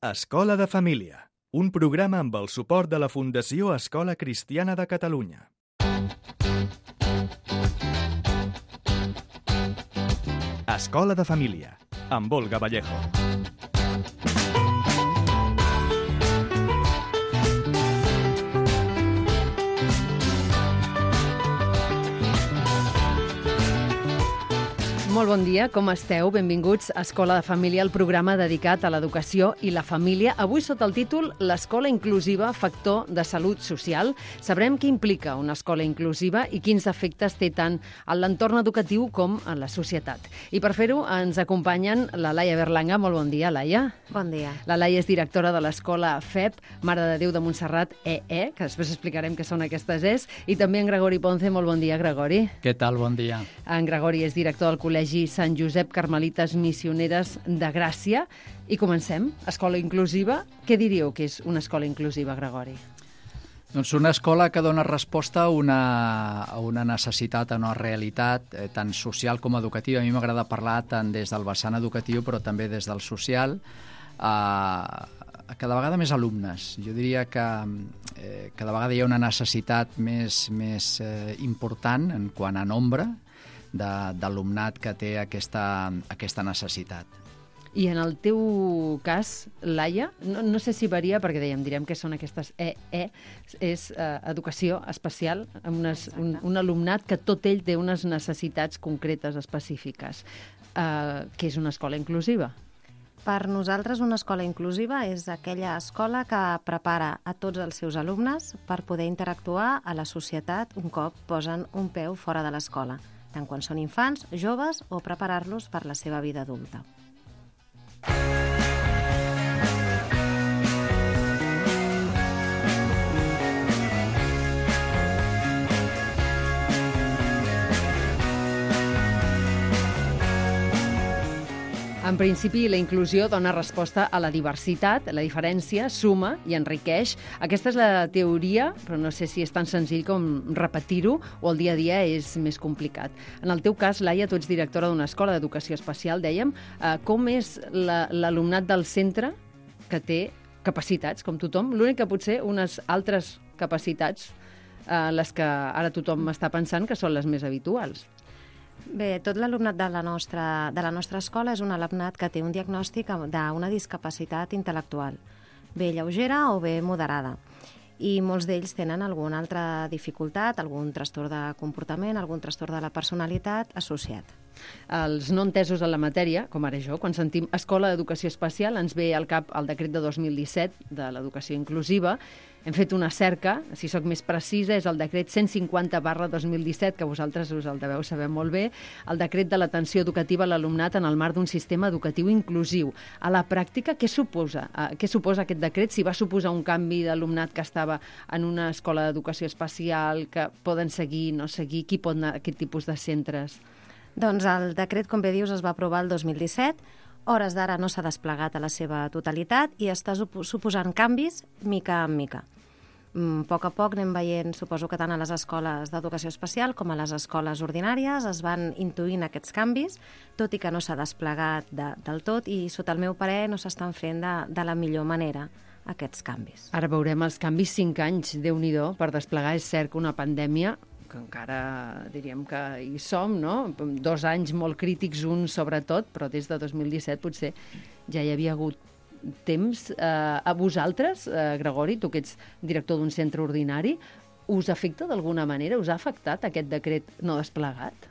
Escola de Família, un programa amb el suport de la Fundació Escola Cristiana de Catalunya. Escola de Família, amb Olga Vallejo. Molt bon dia, com esteu? Benvinguts a Escola de Família, el programa dedicat a l'educació i la família. Avui sota el títol L'escola inclusiva, factor de salut social. Sabrem què implica una escola inclusiva i quins efectes té tant en l'entorn educatiu com en la societat. I per fer-ho ens acompanyen la Laia Berlanga. Molt bon dia, Laia. Bon dia. La Laia és directora de l'escola FEP, Mare de Déu de Montserrat EE, que després explicarem què són aquestes ES, i també en Gregori Ponce. Molt bon dia, Gregori. Què tal? Bon dia. En Gregori és director del Col·legi Sant Josep Carmelites Missioneres de Gràcia. I comencem. Escola inclusiva. Què diríeu que és una escola inclusiva, Gregori? Doncs una escola que dona resposta a una necessitat, a una realitat, tant social com educativa. A mi m'agrada parlar tant des del vessant educatiu, però també des del social, cada vegada més alumnes. Jo diria que cada vegada hi ha una necessitat més important en quant a nombre d'alumnat que té aquesta necessitat. I en el teu cas, Laia, no sé si varia, perquè direm que són aquestes EE, és educació especial, un alumnat que tot ell té unes necessitats concretes, específiques, que és una escola inclusiva. Per nosaltres, una escola inclusiva és aquella escola que prepara a tots els seus alumnes per poder interactuar a la societat un cop posen un peu fora de l'escola, tant quan són infants, joves o preparar-los per la seva vida adulta. En principi, la inclusió dona resposta a la diversitat, la diferència suma i enriqueix. Aquesta és la teoria, però no sé si és tan senzill com repetir-ho o el dia a dia és més complicat. En el teu cas, Laia, tu ets directora d'una escola d'educació especial, dèiem. Com és l'alumnat del centre que té capacitats, com tothom? L'únic que potser unes altres capacitats, les que ara tothom està pensant que són les més habituals. Bé, tot l'alumnat de la nostra escola és un alumnat que té un diagnòstic d'una discapacitat intel·lectual, bé lleugera o bé moderada. I molts d'ells tenen alguna altra dificultat, algun trastorn de comportament, algun trastorn de la personalitat associat. Els no entesos en la matèria, com ara jo, quan sentim Escola d'Educació Especial, ens ve al cap el decret de 2017 de l'educació inclusiva. Hem fet una cerca, si sóc més precisa, és el decret 150/2017, que vosaltres us el deveu saber molt bé, el decret de l'atenció educativa a l'alumnat en el marc d'un sistema educatiu inclusiu. A la pràctica, què suposa aquest decret? Si va suposar un canvi d'alumnat que estava en una escola d'educació especial, que poden seguir, no seguir, qui pot anar a aquest tipus de centres? Doncs el decret, com bé dius, es va aprovar el 2017, hores d'ara no s'ha desplegat a la seva totalitat i està suposant canvis mica en mica. A poc a poc anem veient, suposo que tant a les escoles d'educació especial com a les escoles ordinàries es van intuint aquests canvis, tot i que no s'ha desplegat del tot i, sota el meu parer, no s'estan fent de la millor manera aquests canvis. Ara veurem els canvis, 5 anys, Déu-n'hi-do, per desplegar. És cert que una pandèmia, que encara diríem que hi som, no? 2 anys molt crítics, un sobretot, però des de 2017 potser ja hi havia hagut temps. A vosaltres, Gregori, tu que ets director d'un centre ordinari, us afecta d'alguna manera? Us ha afectat aquest decret no desplegat?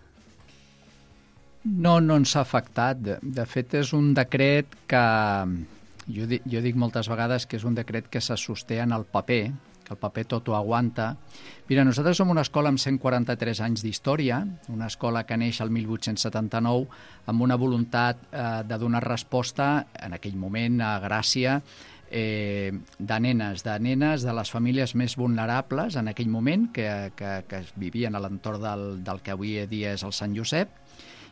No ens ha afectat. De fet, és un decret que jo dic moltes vegades que és un decret que se sosté en el paper, que el paper tot ho aguanta. Mira, nosaltres som una escola amb 143 anys d'història, una escola que neix el 1879 amb una voluntat de donar resposta, en aquell moment, a Gràcia, de nenes de les famílies més vulnerables en aquell moment, que vivien a l'entorn del que avui dia és el Sant Josep.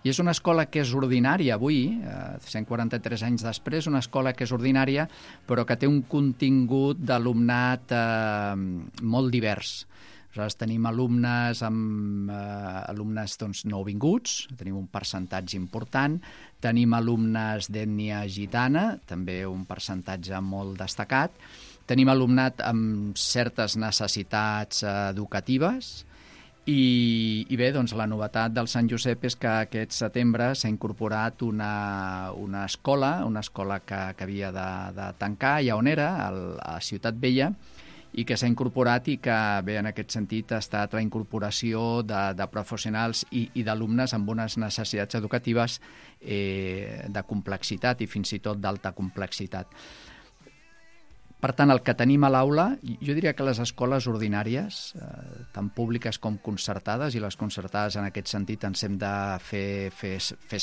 I és una escola que és ordinària avui, 143 anys després, una escola que és ordinària, però que té un contingut d'alumnat molt divers. Nosaltres tenim alumnes nouvinguts, tenim un percentatge important, tenim alumnes d'ètnia gitana, també un percentatge molt destacat, tenim alumnat amb certes necessitats educatives, i bé, doncs la novetat del Sant Josep és que aquest setembre s'ha incorporat una escola que havia de tancar, ja on era, a Ciutat Vella, i que s'ha incorporat i que, bé, en aquest sentit ha estat la incorporació de professionals i d'alumnes amb unes necessitats educatives de complexitat i fins i tot d'alta complexitat. Per tant, el que tenim a l'aula, jo diria que les escoles ordinàries, tant públiques com concertades, i les concertades en aquest sentit ens hem de fer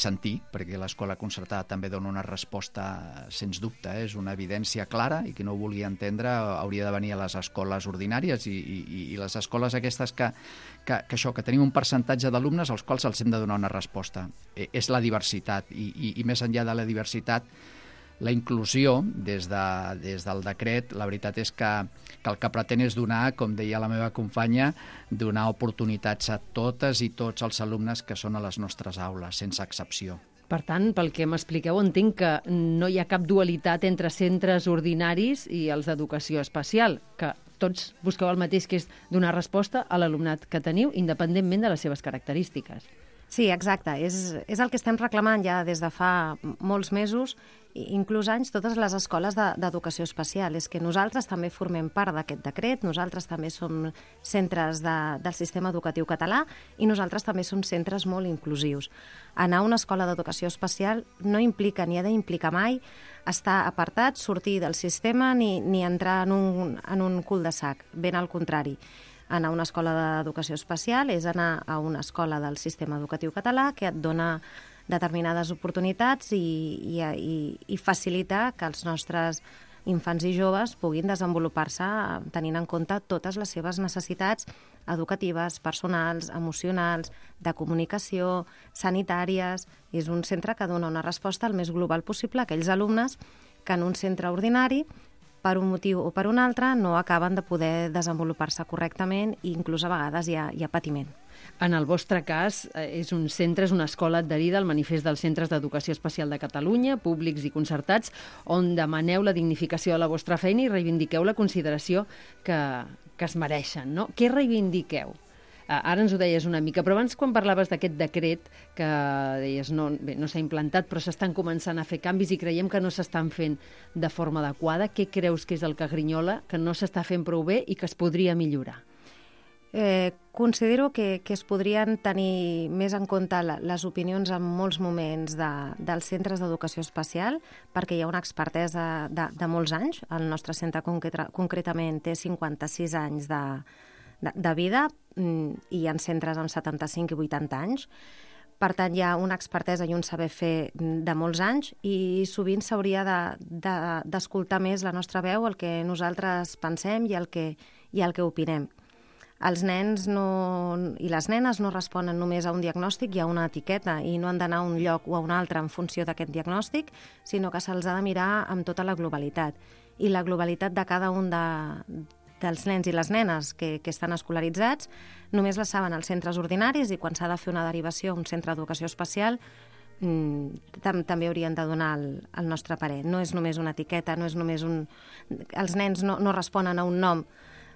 sentir, perquè l'escola concertada també dona una resposta, sens dubte, és una evidència clara, i qui no ho vulgui entendre hauria de venir a les escoles ordinàries i les escoles aquestes que tenim un percentatge d'alumnes als quals els hem de donar una resposta. És la diversitat, i més enllà de la diversitat, la inclusió, des del decret, la veritat és que el que pretén és donar, com deia la meva companya, donar oportunitats a totes i tots els alumnes que són a les nostres aules, sense excepció. Per tant, pel que m'expliqueu, entenc que no hi ha cap dualitat entre centres ordinaris i els d'educació especial, que tots busqueu el mateix, que és donar resposta a l'alumnat que teniu, independentment de les seves característiques. Sí, exacte. És el que estem reclamant ja des de fa molts mesos, inclús anys, totes les escoles d'educació especial. És que nosaltres també formem part d'aquest decret, nosaltres també som centres del sistema educatiu català i nosaltres també som centres molt inclusius. Anar a una escola d'educació especial no implica ni ha d'implicar mai estar apartat, sortir del sistema ni entrar en un cul-de-sac. Ben al contrari. Anar a una escola d'educació especial és anar a una escola del sistema educatiu català que et dona determinades oportunitats i facilitar que els nostres infants i joves puguin desenvolupar-se tenint en compte totes les seves necessitats educatives, personals, emocionals, de comunicació, sanitàries. És un centre que dona una resposta el més global possible a aquells alumnes que en un centre ordinari, per un motiu o per un altre, no acaben de poder desenvolupar-se correctament i inclús a vegades hi ha patiment. En el vostre cas, és un centre, és una escola adherida al manifest dels centres d'educació especial de Catalunya, públics i concertats, on demaneu la dignificació de la vostra feina i reivindiqueu la consideració que es mereixen, no? Què reivindiqueu? Ara ens ho deies una mica, però abans quan parlaves d'aquest decret que deies no s'ha implantat però s'estan començant a fer canvis i creiem que no s'estan fent de forma adequada, què creus que és el que grinyola, que no s'està fent prou bé i que es podria millorar? Considero que es podrien tenir més en compte les opinions en molts moments dels centres d'educació especial, perquè hi ha una expertesa de molts anys. El nostre centre concretament té 56 anys de vida i hi ha centres amb 75 i 80 anys. Per tant, hi ha una expertesa i un saber fer de molts anys i sovint s'hauria d'escoltar més la nostra veu, el que nosaltres pensem i el que opinem. Els nens i les nenes no responen només a un diagnòstic i a una etiqueta i no han d'anar a un lloc o a un altre en funció d'aquest diagnòstic, sinó que se'ls ha de mirar amb tota la globalitat. I la globalitat de cada un dels nens i les nenes que estan escolaritzats només la saben els centres ordinaris i quan s'ha de fer una derivació a un centre d'educació especial també haurien de donar el nostre parer. No és només una etiqueta, no és només els nens no responen a un nom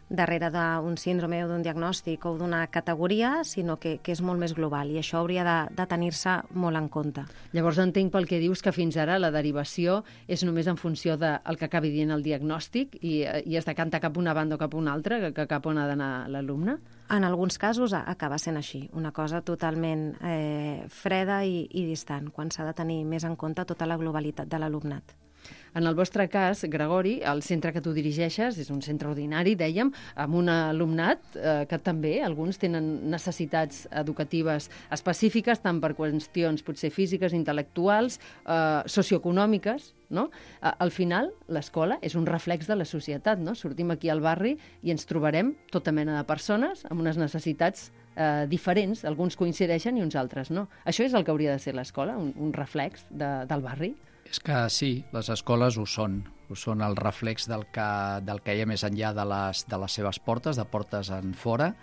darrere d'un síndrome o d'un diagnòstic o d'una categoria, sinó que és molt més global i això hauria de tenir-se molt en compte. Llavors entenc pel que dius que fins ara la derivació és només en funció del que acabi dient el diagnòstic i es decanta cap a una banda o cap a una altra, que cap on ha d'anar l'alumne? En alguns casos acaba sent així, una cosa totalment freda i distant, quan s'ha de tenir més en compte tota la globalitat de l'alumnat. En el vostre cas, Gregori, el centre que tu dirigeixes és un centre ordinari, dèiem, amb un alumnat que també, alguns tenen necessitats educatives específiques, tant per qüestions potser físiques, intel·lectuals, socioeconòmiques, no? Al final, l'escola és un reflex de la societat, no? Sortim aquí al barri i ens trobarem tota mena de persones amb unes necessitats diferents, alguns coincideixen i uns altres no. Això és el que hauria de ser l'escola, un reflex del barri? És que sí, les escoles ho són. són el reflex del que hi ha més enllà de les seves portes, de portes en fora.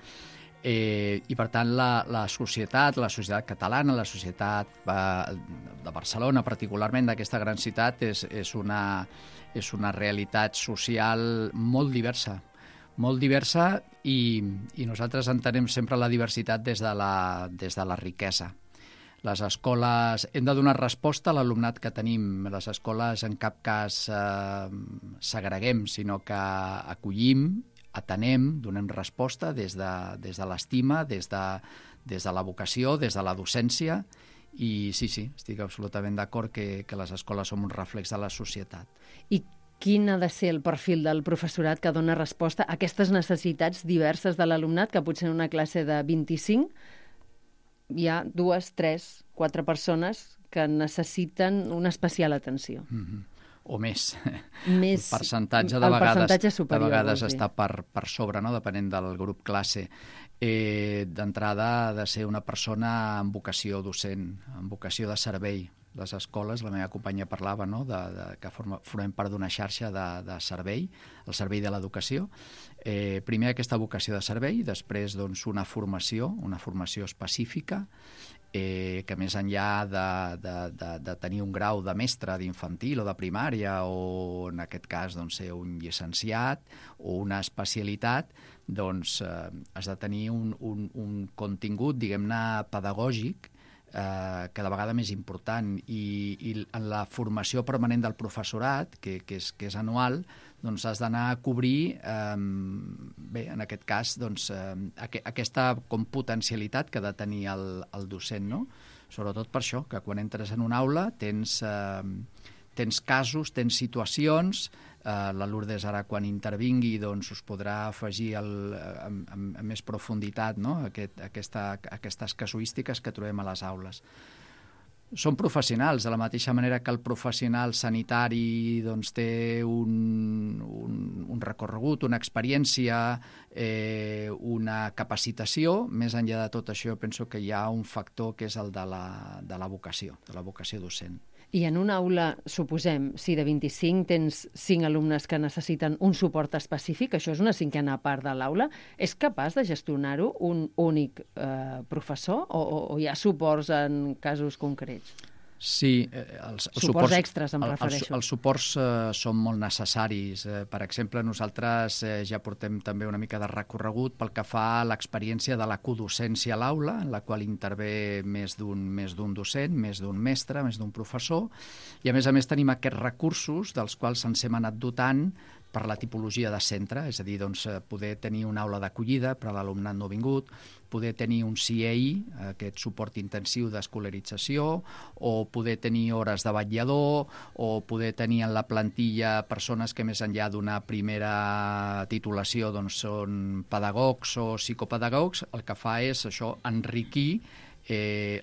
I per tant la societat catalana, la societat de Barcelona particularment, d'aquesta gran ciutat, és una realitat social molt diversa i nosaltres entenem sempre la diversitat des de la riquesa. Les escoles, hem de donar resposta a l'alumnat que tenim. Les escoles en cap cas segreguem, sinó que acollim, atenem, donem resposta des de l'estima, des de la vocació, des de la docència, i sí, estic absolutament d'acord que les escoles són un reflex de la societat. I quin ha de ser el perfil del professorat que dona resposta a aquestes necessitats diverses de l'alumnat, que potser en una classe de 25 hi ha 2, 3, 4 persones que necessiten una especial atenció? O més. El percentatge superior, de vegades està per sobre, no? Depenent del grup classe. D'entrada ha de ser una persona amb vocació docent, amb vocació de servei. Les escoles, la meva companya parlava, no? Que formem part d'una xarxa de servei, el servei de l'educació. Primer aquesta vocació de servei, després una formació específica, que més enllà de tenir un grau de mestre d'infantil o de primària, o en aquest cas ser un llicenciat o una especialitat, has de tenir un contingut, diguem-ne, pedagògic, cada vegada més important, i en la formació permanent del professorat, que és anual, has d'anar a cobrir, en aquest cas, aquesta potencialitat que ha de tenir el docent, no? Sobretot per això, que quan entres en una aula tens casos, tens situacions. La Lourdes ara, quan intervingui, us podrà afegir amb més profunditat, no? Aquestes casuístiques que trobem a les aules. Són professionals, de la mateixa manera que el professional sanitari té un recorregut, una experiència, una capacitació. Més enllà de tot això, penso que hi ha un factor que és el de la vocació docent. I en una aula, suposem, si de 25 tens 5 alumnes que necessiten un suport específic, això és una cinquena part de l'aula, és capaç de gestionar-ho un únic professor o hi ha suports en casos concrets? Sí, suports extres, em refereixo. Els suports són molt necessaris. Per exemple, nosaltres ja portem també una mica de recorregut pel que fa a l'experiència de la codocència a l'aula, en la qual intervé més d'un docent, més d'un mestre, més d'un professor, i a més tenim aquests recursos dels quals ens hem anat dotant per la tipologia de centre, és a dir, poder tenir una aula d'acollida, però l'alumnat no ha vingut, poder tenir un CIEI, aquest suport intensiu d'escolarització, o poder tenir hores de vetllador, o poder tenir en la plantilla persones que més enllà d'una primera titulació són pedagogs o psicopedagogs. El que fa és això, enriquir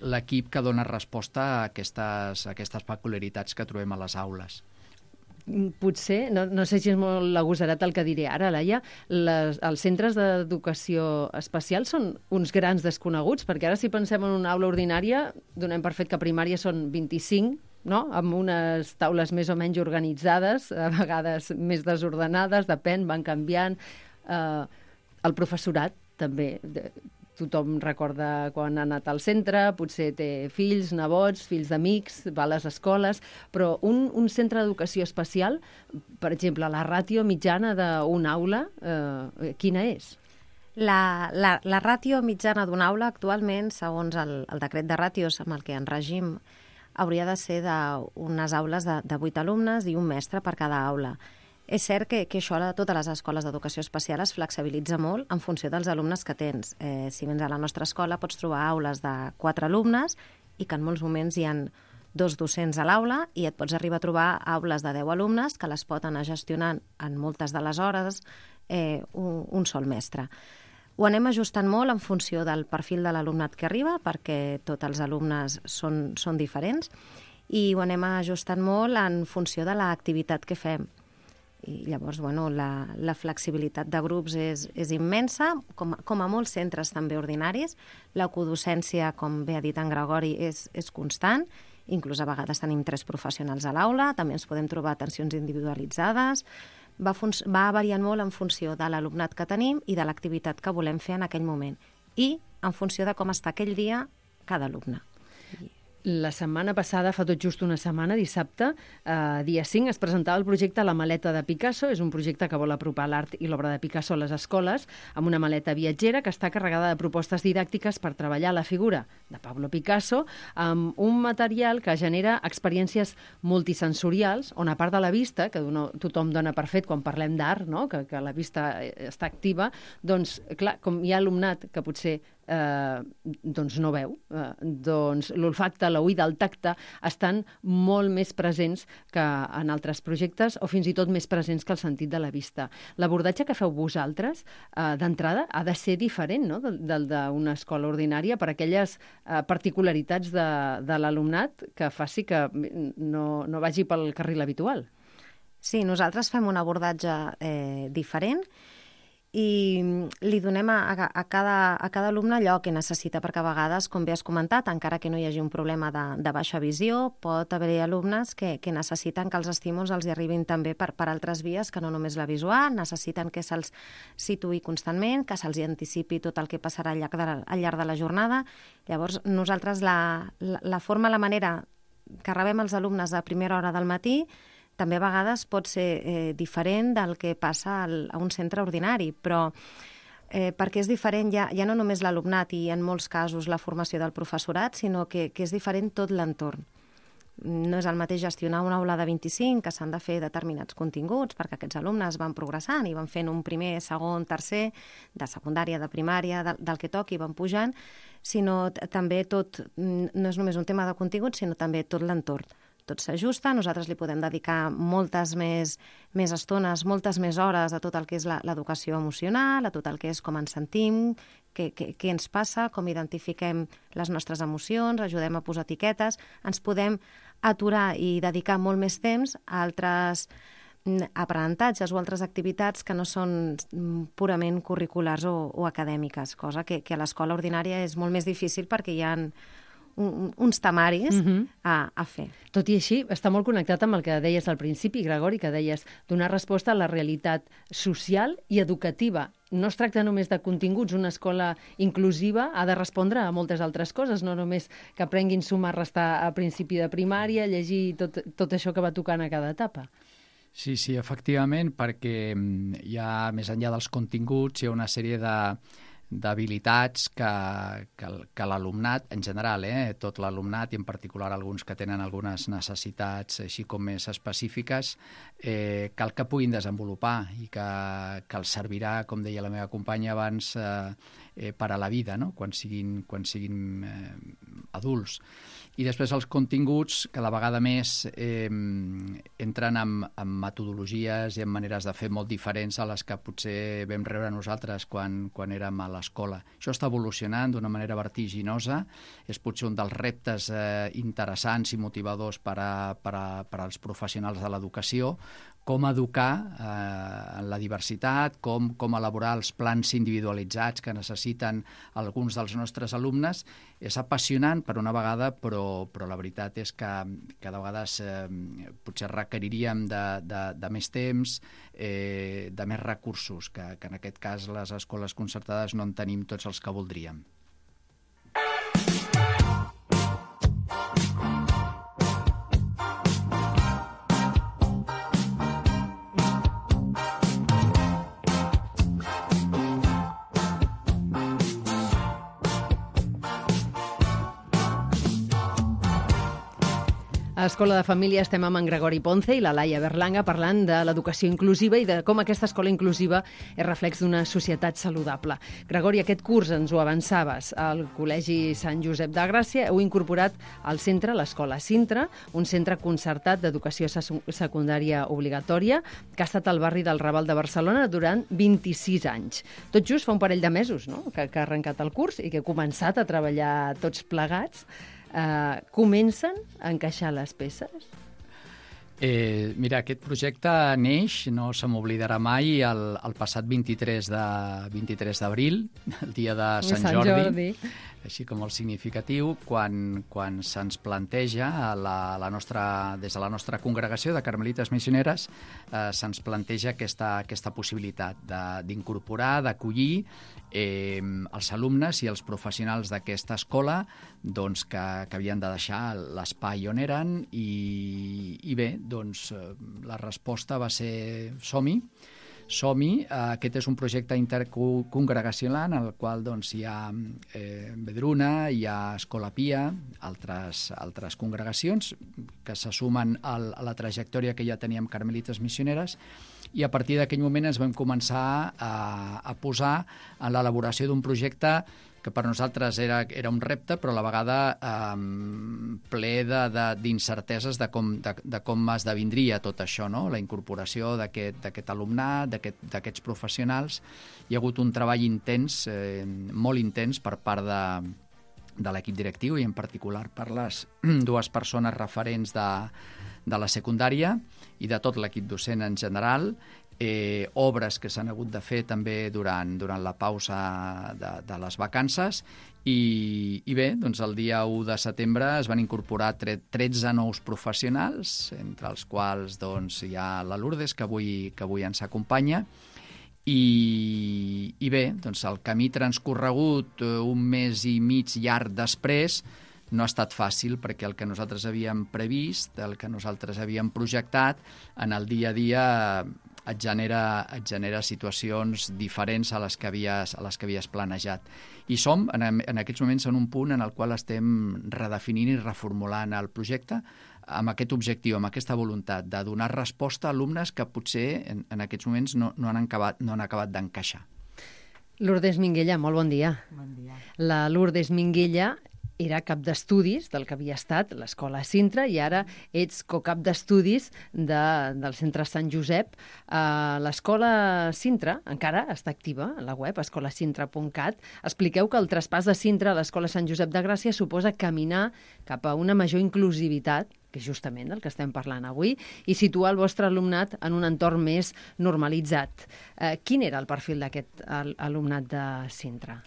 l'equip que dona resposta a aquestes peculiaritats que trobem a les aules. Potser, no sé si és molt agosarat el que diré ara, Laia, els centres d'educació especial són uns grans desconeguts, perquè ara si pensem en una aula ordinària, donem per fet que a primària són 25, no? Amb unes taules més o menys organitzades, a vegades més desordenades, depèn, van canviant. El professorat també, tothom recorda quan ha anat al centre, potser té fills, nebots, fills d'amics, va a les escoles, però un centre d'educació especial, per exemple, la ràtio mitjana d'una aula, quina és? La ràtio mitjana d'una aula actualment, segons el decret de ràtios amb el que en regim, hauria de ser d'unes aules de 8 alumnes i un mestre per cada aula. És cert que això a totes les escoles d'educació especial es flexibilitza molt en funció dels alumnes que tens. Si vens a la nostra escola pots trobar aules de 4 alumnes i que en molts moments hi ha 2 docents a l'aula, i et pots arribar a trobar aules de 10 alumnes que les pot anar gestionant en moltes de les hores un sol mestre. Ho anem ajustant molt en funció del perfil de l'alumnat que arriba, perquè tots els alumnes són diferents, i ho anem ajustant molt en funció de l'activitat que fem. I llavors, la flexibilitat de grups és immensa, com a molts centres també ordinaris. La codocència, com bé ha dit en Gregori, és constant, inclús a vegades tenim 3 professionals a l'aula, també ens podem trobar atencions individualitzades, va variant molt en funció de l'alumnat que tenim i de l'activitat que volem fer en aquell moment i en funció de com està aquell dia cada alumne. La setmana passada, fa tot just una setmana, dissabte, dia 5, es presentava el projecte La maleta de Picasso. És un projecte que vol apropar l'art i l'obra de Picasso a les escoles, amb una maleta viatgera que està carregada de propostes didàctiques per treballar la figura de Pablo Picasso amb un material que genera experiències multisensorials, on a part de la vista, que tothom dona per fet quan parlem d'art, no? que la vista està activa, doncs, clar, com hi ha alumnat que potser doncs no veu, doncs l'olfacte, l'oïda, el tacte estan molt més presents que en altres projectes o fins i tot més presents que el sentit de la vista. L'abordatge que feu vosaltres, d'entrada, ha de ser diferent, no?, del d'una escola ordinària per aquelles particularitats de l'alumnat que faci que no vagi pel carril habitual. Sí, nosaltres fem un abordatge diferent i li donem a cada alumne allò que necessita, perquè a vegades, com bé has comentat, encara que no hi hagi un problema de baixa visió, pot haver-hi alumnes que necessiten que els estímuls els hi arribin també per altres vies que no només la visual, necessiten que se'ls situï constantment, que se'ls anticipi tot el que passarà al llarg de la jornada. Llavors, nosaltres la forma, la manera que rebem els alumnes a primera hora del matí també a vegades pot ser diferent del que passa a un centre ordinari, però perquè és diferent ja no només l'alumnat i en molts casos la formació del professorat, sinó que és diferent tot l'entorn. No és el mateix gestionar una aula de 25, que s'han de fer determinats continguts perquè aquests alumnes van progressant i van fent un primer, segon, tercer, de secundària, de primària, del que toqui, van pujant, sinó també tot, no és només un tema de contingut, sinó també tot l'entorn. Tot s'ajusta, nosaltres li podem dedicar moltes més estones, moltes més hores a tot el que és l'educació emocional, a tot el que és com ens sentim, què ens passa, com identifiquem les nostres emocions, ajudem a posar etiquetes, ens podem aturar i dedicar molt més temps a altres aprenentatges o altres activitats que no són purament curriculars o acadèmiques, cosa que a l'escola ordinària és molt més difícil perquè hi ha uns temaris a fer. Tot i així, està molt connectat amb el que deies al principi, Gregori, que deies donar resposta a la realitat social i educativa. No es tracta només de continguts. Una escola inclusiva ha de respondre a moltes altres coses, no només que aprenguin sumar, restar a principi de primària, llegir tot això que va tocant a cada etapa. Sí, efectivament, perquè hi ha, més enllà dels continguts, hi ha una sèrie d'habilitats que l'alumnat, en general, tot l'alumnat, i en particular alguns que tenen algunes necessitats així com més específiques, cal que puguin desenvolupar i que els servirà, com deia la meva companya abans, per a la vida, no?, quan siguin adults. I després els continguts, cada vegada més entren en metodologies i en maneres de fer molt diferents a les que potser vam rebre nosaltres quan érem a l'escola. Això està evolucionant d'una manera vertiginosa, és potser un dels reptes interessants i motivadors per als professionals de l'educació, com educar en la diversitat, com elaborar els plans individualitzats que necessiten alguns dels nostres alumnes. És apassionant per una vegada, però la veritat és que de vegades potser requeriríem de més temps, de més recursos, que en aquest cas les escoles concertades no en tenim tots els que voldríem. A Escola de Família estem amb en Gregori Ponce i la Laia Berlanga parlant de l'educació inclusiva i de com aquesta escola inclusiva és reflex d'una societat saludable. Gregori, aquest curs, ens ho avançaves, al Col·legi Sant Josep de Gràcia heu incorporat al centre l'Escola Sintra, un centre concertat d'educació secundària obligatòria que ha estat al barri del Raval de Barcelona durant 26 anys. Tot just fa un parell de mesos, no?, que ha arrencat el curs i que heu començat a treballar tots plegats. Comencen a encaixar les peces? Mira, aquest projecte neix, no se m'oblidarà mai, el passat 23 d'abril, el dia de Sant Jordi. així com molt significatiu, quan se'ns planteja des de la nostra congregació de Carmelites Missioneres, se'ns planteja aquesta possibilitat d'incorporar, d'acollir els alumnes i els professionals d'aquesta escola doncs, que havien de deixar l'espai on eren i bé, doncs la resposta va ser som-hi. Aquest és un projecte intercongregacional en el qual doncs, hi ha Vedruna, hi ha Escola Pia, altres congregacions que se sumen a la trajectòria que ja teníem Carmelites Missioneres, i a partir d'aquell moment ens vam començar a posar en l'elaboració d'un projecte que per nosaltres era un repte, però a la vegada ple d'incerteses de com esdevindria tot això, no? La incorporació d'aquest alumnat, d'aquests professionals. Hi ha hagut un treball intens, molt intens, per part de l'equip directiu i en particular per les dues persones referents de la secundària i de tot l'equip docent en general, obres que s'han hagut de fer també durant la pausa de les vacances i bé, doncs el dia 1 de setembre es van incorporar 13 nous professionals, entre els quals doncs, hi ha la Lourdes, que avui ens acompanya, i bé, doncs el camí transcorregut un mes i mig llarg després no ha estat fàcil, perquè el que nosaltres havíem previst, el que nosaltres havíem projectat, en el dia a dia et genera situacions diferents a les que havies planejat. I som, en aquests moments, en un punt en el qual estem redefinint i reformulant el projecte amb aquest objectiu, amb aquesta voluntat de donar resposta a alumnes que potser en aquests moments no han acabat d'encaixar. Lourdes Minguella, molt bon dia. Bon dia. La Lourdes Minguella era cap d'estudis del que havia estat l'Escola Sintra i ara ets cocap d'estudis del Centre Sant Josep. L'Escola Sintra encara està activa a la web, escolasintra.cat. Expliqueu que el traspàs de Sintra a l'Escola Sant Josep de Gràcia suposa caminar cap a una major inclusivitat, que és justament el que estem parlant avui, i situar el vostre alumnat en un entorn més normalitzat. Quin era el perfil d'aquest alumnat de Sintra?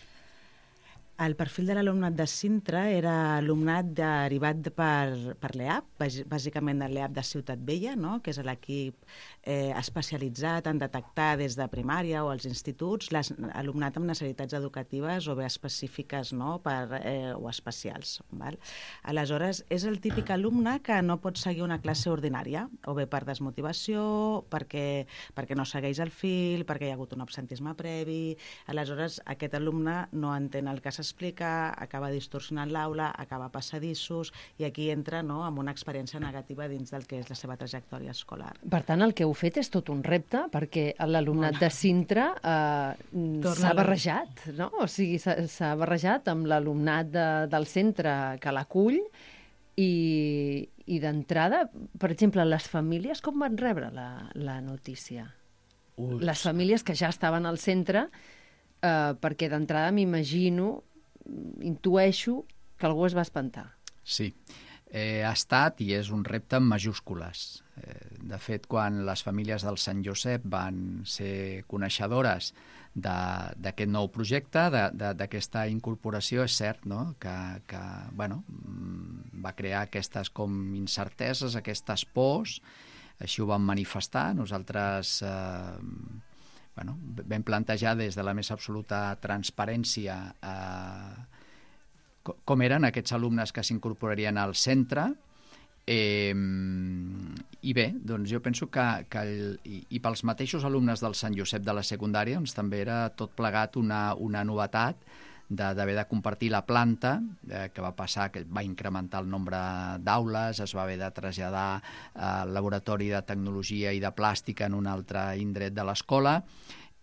El perfil de l'alumnat de Sintra era alumnat derivat per l'EAP, bàsicament de l'EAP de Ciutat Vella, no? Que és l'equip especialitzat en detectar des de primària o als instituts l'alumnat amb necessitats educatives o bé específiques, no? O especials. Val? Aleshores, és el típic alumne que no pot seguir una classe ordinària, o bé per desmotivació, perquè no segueix el fil, perquè hi ha hagut un absentisme previ. Aleshores, aquest alumne no entén el que s'explica, acaba distorsionant l'aula, acaba passadissos, i aquí entra, no?, amb una experiència negativa dins del que és la seva trajectòria escolar. Per tant, el que heu fet és tot un repte, perquè l'alumnat de Sintra s'ha barrejat, no? O sigui, s'ha barrejat amb l'alumnat del centre que l'acull i d'entrada, per exemple, les famílies com van rebre la notícia? Les famílies que ja estaven al centre, perquè d'entrada m'imagino, intueixo que algú es va espantar. Sí, ha estat i és un repte en majúscules. De fet, quan les famílies del Sant Josep van ser coneixedores d'aquest nou projecte, d'aquesta incorporació, és cert, no?, que bueno, va crear aquestes com incerteses, aquestes pors, així ho vam manifestar. Nosaltres vam plantejar des de la més absoluta transparència com eren aquests alumnes que s'incorporarien al centre, i bé, doncs jo penso que i pels mateixos alumnes del Sant Josep de la secundària doncs també era tot plegat una novetat d'haver de compartir la planta, que va passar, que va incrementar el nombre d'aules, es va haver de traslladar al laboratori de tecnologia i de plàstica en un altre indret de l'escola.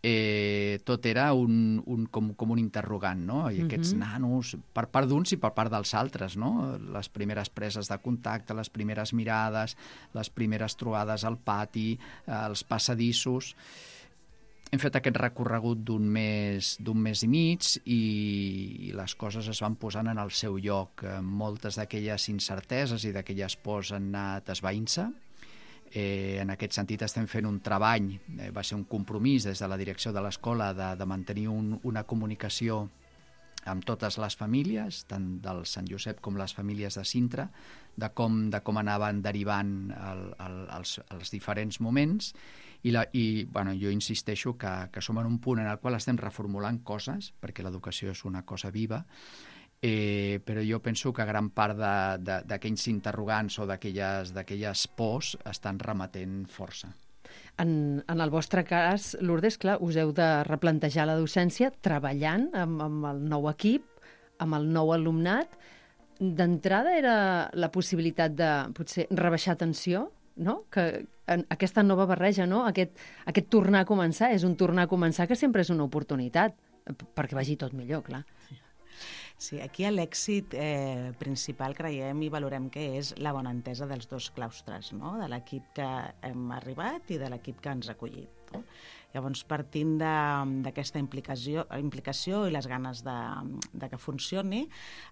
Tot era com un interrogant, no? I aquests nanos, per part d'uns i per part dels altres, no? Les primeres preses de contacte, les primeres mirades, les primeres trobades al pati, els passadissos. Hem fet aquest recorregut d'un mes i mig i les coses es van posant en el seu lloc. Moltes d'aquelles incerteses i d'aquelles pors han anat esvaint-se. En aquest sentit estem fent un treball, va ser un compromís des de la direcció de l'escola de mantenir una comunicació amb totes les famílies, tant del Sant Josep com les famílies de Sintra, de com anaven derivant els diferents moments, i bueno, jo insisteixo que som en un punt en el qual estem reformulant coses, perquè l'educació és una cosa viva, però jo penso que gran part d'aquells interrogants o d'aquelles pors estan remetent força. En el vostre cas, Lourdes, clar, us heu de replantejar la docència treballant amb el nou equip, amb el nou alumnat. D'entrada era la possibilitat de, potser, rebaixar tensió, no? Que aquesta nova barreja, no? Aquest tornar a començar, és un tornar a començar que sempre és una oportunitat, perquè vagi tot millor, clar. Sí, aquí l'èxit principal creiem i valorem que és la bona entesa dels dos claustres, no? De l'equip que hem arribat i de l'equip que ens ha acollit. No? Llavors, partint d'aquesta implicació i les ganes de que funcioni,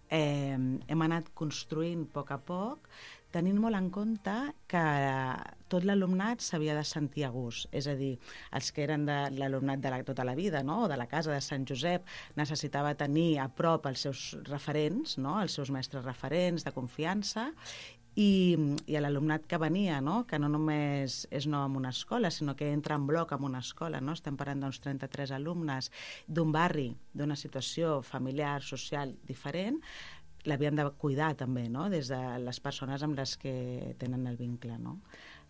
hem anat construint a poc, tenint molt en compte que tot l'alumnat s'havia de sentir a gust. És a dir, els que eren de l'alumnat de tota la vida, no? O de la casa de Sant Josep, necessitava tenir a prop els seus referents, no? Els seus mestres referents de confiança, i a l'alumnat que venia, no? Que no només és nou en una escola, sinó que entra en bloc en una escola, no? Estem parlant d'uns 33 alumnes d'un barri, d'una situació familiar, social diferent, l'havien de cuidar també, no? Des de les persones amb les que tenen el vincle, no?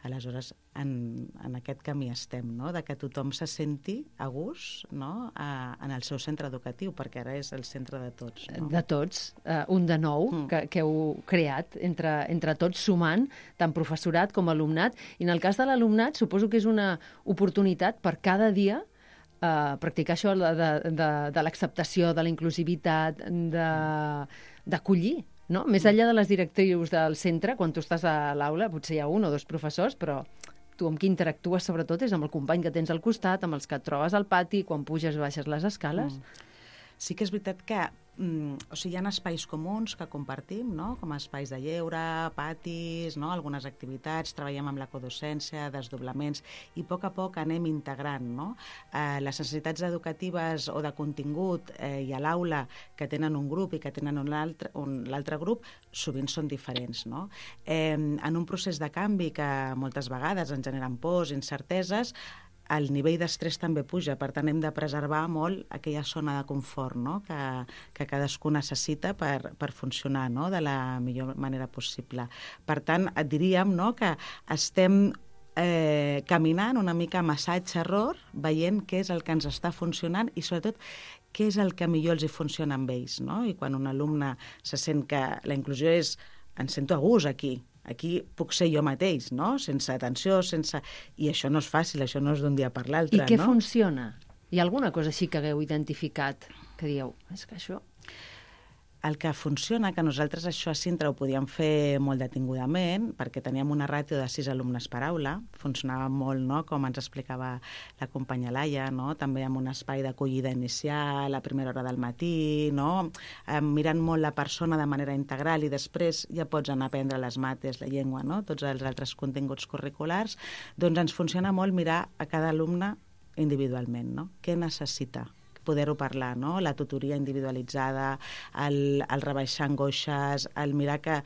Aleshores, en aquest camí estem, no? De que tothom se senti a gust, no? En el seu centre educatiu, perquè ara és el centre de tots. No? De tots, un de nou que heu creat entre tots, sumant tant professorat com alumnat. I en el cas de l'alumnat suposo que és una oportunitat per cada dia practicar això de l'acceptació, de la inclusivitat, d'acollir, no? Més enllà de les directrius del centre, quan tu estàs a l'aula, potser hi ha un o dos professors, però tu amb qui interactues sobretot és amb el company que tens al costat, amb els que et trobes al pati, quan puges i baixes les escales. Sí que és veritat que hi ha espais comuns que compartim, no? Com espais de lleure, patis, no? Algunes activitats, treballem amb la codocència, desdoblaments, i a poc anem integrant, no? Les necessitats educatives o de contingut i a l'aula que tenen un grup i que tenen l'altre grup sovint són diferents, no? En un procés de canvi que moltes vegades ens generen pors, incerteses, el nivell d'estrès també puja, per tant hem de preservar molt aquella zona de confort, no? que cadascú necessita per funcionar, no? De la millor manera possible. Per tant, et diríem, no? Que estem caminant una mica massatge-error, veient què és el que ens està funcionant i sobretot què és el que millor els hi funciona amb ells, no? I quan un alumne se sent que la inclusió és em sento a gust aquí puc ser jo mateix, no? Sense atenció, i això no és fàcil, això no és d'un dia per l'altre. I què funciona? Hi ha alguna cosa així que hagueu identificat que dieu, és que això... El que funciona, que nosaltres això a Sintra ho podíem fer molt detingudament, perquè teníem una ràtio de 6 alumnes per aula, funcionava molt, no? Com ens explicava la companya Laia, no? També amb un espai d'acollida inicial, a primera hora del matí, no? Mirant molt la persona de manera integral i després ja pots anar a aprendre les mates, la llengua, no? Tots els altres continguts curriculars. Doncs ens funciona molt mirar a cada alumne individualment, no? Què necessita? Poder-ho parlar, no? La tutoria individualitzada, el rebaixar angoixes, el mirar que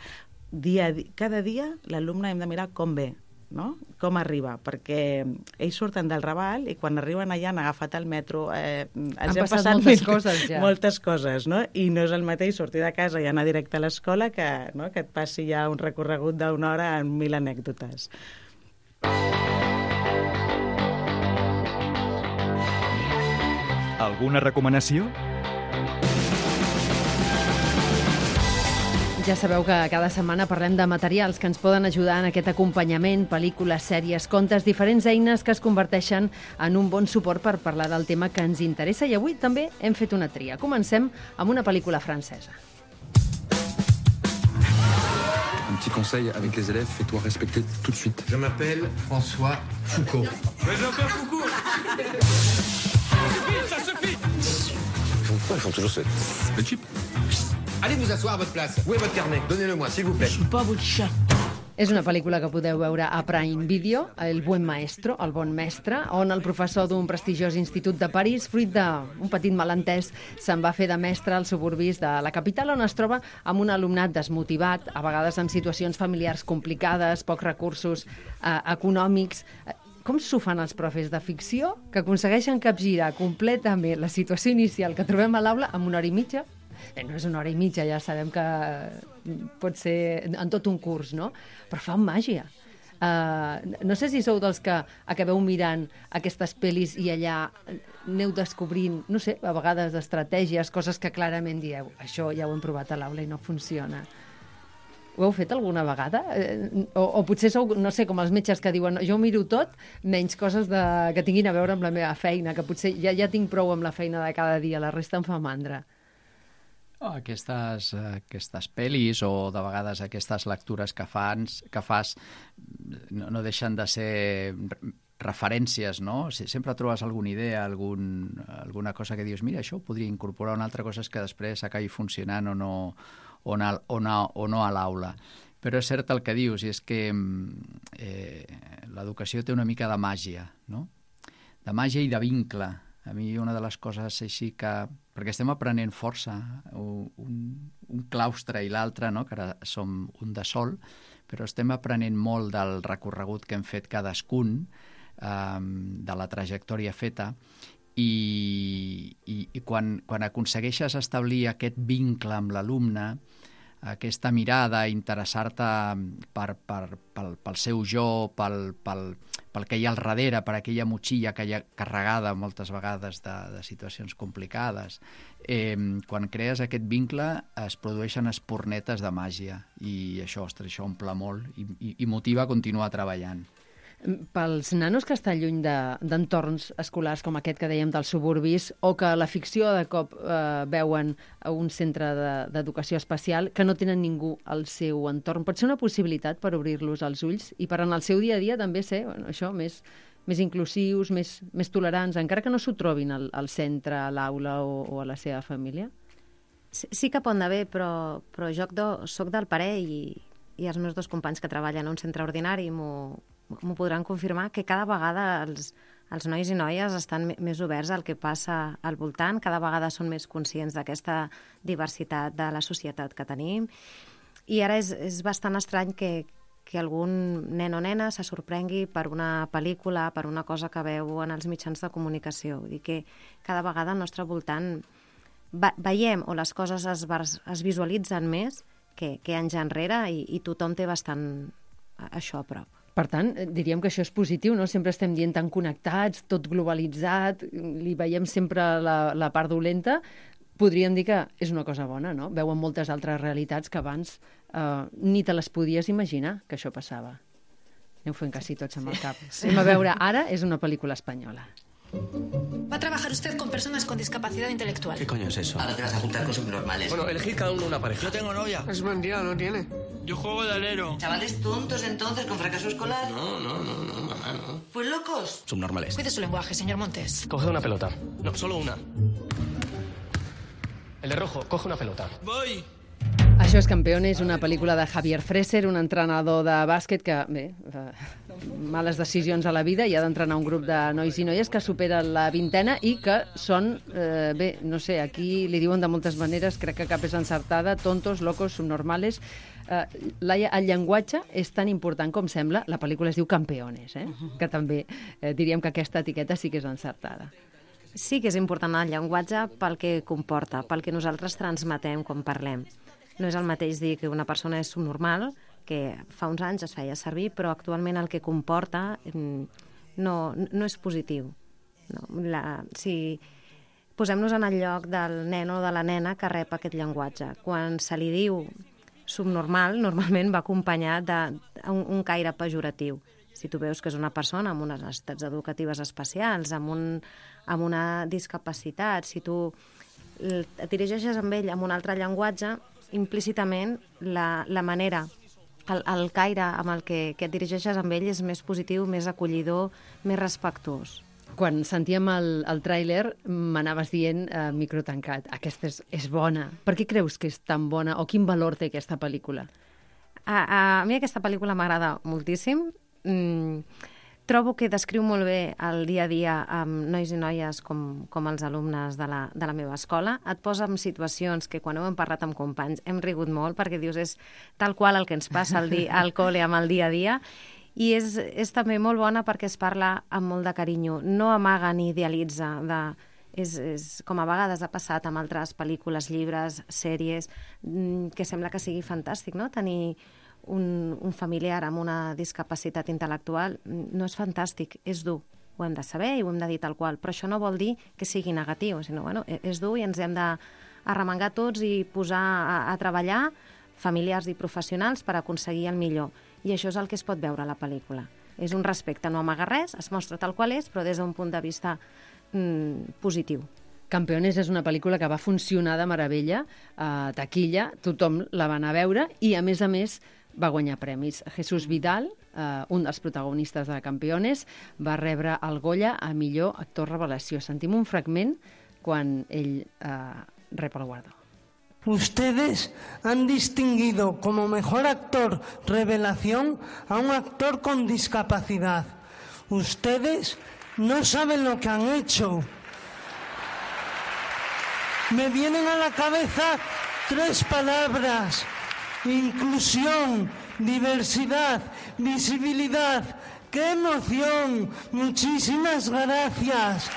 cada dia l'alumne hem de mirar com ve, no? Com arriba, perquè ells surten del Raval i quan arriben allà han agafat el metro, han passat moltes coses ja. Moltes coses, no? I no és el mateix sortir de casa i anar directe a l'escola que et passi ja un recorregut d'una hora amb 1000 anècdotes. Alguna recomanació? Ja sabeu que cada setmana parlem de materials que ens poden ajudar en aquest acompanyament, pel·lícules, sèries, contes, diferents eines que es converteixen en un bon suport per parlar del tema que ens interessa, i avui també hem fet una tria. Comencem amb una pel·lícula francesa. Un petit conseil avec les élèves, fais-toi respecter tout de suite. Je m'appelle François Foucault. Mais Jean-Pierre Foucault. Ça suffit. Pourquoi ils font toujours le chip? Allez vous asseoir à votre place. Où est votre carnet? Donnez-le-moi, s'il vous plaît. Je suis pas votre chat. És una pel·lícula que podeu veure a Prime Video, El buen maestro, el bon mestre, on el professor d'un prestigiós institut de París, fruit d'un petit malentès, se'n va fer de mestre als suburbis de la capital, on es troba amb un alumnat desmotivat, a vegades amb situacions familiars complicades, pocs recursos econòmics. Com s'ho fan els profes de ficció que aconsegueixen capgirar completament la situació inicial que trobem a l'aula en 1 hora i mitja? No és 1 hora i mitja, ja sabem que pot ser en tot un curs, no? Però fan màgia. No sé si sou dels que acabeu mirant aquestes pel·lis i allà aneu descobrint, no sé, a vegades estratègies, coses que clarament dieu, això ja ho hem provat a l'aula i no funciona. Ho heu fet alguna vegada? O potser sou, no sé, com els metges que diuen jo ho miro tot, menys coses que tinguin a veure amb la meva feina, que potser ja tinc prou amb la feina de cada dia, la resta em fa mandra. Aquestes pel·lis o de vegades aquestes lectures que fas no deixen de ser referències, no? Sempre trobes alguna idea, alguna cosa que dius, mira, això ho podria incorporar, una altra cosa és que després acabi funcionant o no a l'aula. Però és cert el que dius, i és que l'educació té una mica de màgia, no? De màgia i de vincle. A mi una de les coses així que... Perquè estem aprenent força, un claustre i l'altre, no? Que ara som un de sol, però estem aprenent molt del recorregut que hem fet cadascun, de la trajectòria feta, i quan aconsegueixes establir aquest vincle amb l'alumne, aquesta mirada, interessar-te pel seu jo, pel que hi ha al darrere, per aquella motxilla que hi ha carregada moltes vegades de situacions complicades. Quan crees aquest vincle es produeixen espurnetes de màgia i això, ostres, això omple molt i motiva a continuar treballant. Pels nanos que estan lluny d'entorns escolars com aquest que dèiem dels suburbis o que la ficció de cop veuen a un centre d'educació especial que no tenen ningú al seu entorn, pot ser una possibilitat per obrir-los els ulls i per en el seu dia a dia també ser això més inclusius, més tolerants, encara que no s'ho trobin al centre, a l'aula o a la seva família? Sí que pot anar bé, però soc del parer i els meus 2 companys que treballen en un centre ordinari m'ho podran confirmar, que cada vegada els nois i noies estan més oberts al que passa al voltant, cada vegada són més conscients d'aquesta diversitat de la societat que tenim, i ara és bastant estrany que algun nen o nena se sorprengui per una pel·lícula, per una cosa que veu en els mitjans de comunicació. Vull dir que cada vegada al nostre voltant veiem o les coses es visualitzen més que anys enrere i tothom té bastant això a prop. Per tant, diríem que això és positiu, no? Sempre estem dient tan connectats, tot globalitzat, li veiem sempre la part dolenta. Podríem dir que és una cosa bona, no? Veuen moltes altres realitats que abans ni te les podies imaginar que això passava. Aneu fent quasi tots amb el cap. Anem a veure, ara és una pel·lícula espanyola. Va a trabajar usted con personas con discapacidad intelectual. ¿Qué coño es eso? Ahora te vas a juntar con subnormales. Bueno, elegid cada uno una pareja. Yo tengo novia. Es mentira, no tiene. Yo juego de alero. ¿Chavales tontos entonces con fracaso escolar? No, mamá, no. Pues locos. Subnormales. Cuide su lenguaje, señor Montes. Coged una pelota. No, solo una. El de rojo, coge una pelota. Voy. Això és Campeones, una pel·lícula de Javier Freser, un entrenador de bàsquet que, males decisions a la vida i ha d'entrenar un grup de nois i noies que superen la vintena i que són, no sé, aquí li diuen de moltes maneres, crec que cap és encertada, tontos, locos, subnormales. Laia, el llenguatge és tan important com sembla. La pel·lícula es diu Campeones, que també diríem que aquesta etiqueta sí que és encertada. Sí que és important el llenguatge pel que comporta, pel que nosaltres transmetem quan parlem. No és el mateix dir que una persona és subnormal, que fa uns anys es feia servir, però actualment el que comporta no és positiu. Si posem-nos en el lloc del nen o de la nena que rep aquest llenguatge. Quan se li diu subnormal, normalment va acompanyat d'un caire pejoratiu. Si tu veus que és una persona amb unes necessitats educatives especials, amb una discapacitat, si tu et dirigeixes amb ell amb un altre llenguatge, implícitament la manera, el caire amb el que et dirigeixes amb ell és més positiu, més acollidor, més respectuós. Quan sentíem el tràiler m'anaves dient microtancat, aquesta és bona. Per què creus que és tan bona o quin valor té aquesta pel·lícula? A mi aquesta pel·lícula m'agrada moltíssim. Trobo que descriu molt bé el dia a dia amb nois i noies com els alumnes de la meva escola. Et posa en situacions que quan ho hem parlat amb companys hem rigut molt perquè dius és tal qual el que ens passa al col·le amb el dia a dia. I és també molt bona perquè es parla amb molt de carinyo. No amaga ni idealitza. És com a vegades ha passat amb altres pel·lícules, llibres, sèries, que sembla que sigui fantàstic, no? Tenir un familiar amb una discapacitat intel·lectual no és fantàstic, és dur. Ho hem de saber i ho hem de dir tal qual, però això no vol dir que sigui negatiu, sinó, és dur i ens hem d'arremangar tots i posar a treballar familiars i professionals per aconseguir el millor. I això és el que es pot veure a la pel·lícula. És un respecte, no amaga res, es mostra tal qual és, però des d'un punt de vista positiu. Campeones és una pel·lícula que va funcionar de meravella a taquilla, tothom la va anar a veure i, a més, va guanyar premis. Jesús Vidal, un dels protagonistes de Campeones, va rebre el Goya a millor actor revelació. Sentim un fragment quan ell rep el guardó. Ustedes han distinguido como mejor actor revelación a un actor con discapacidad. Ustedes no saben lo que han hecho. Me vienen a la cabeza 3 palabras: inclusión, diversidad, visibilidad. ¡Qué emoción! Muchísimas gracias.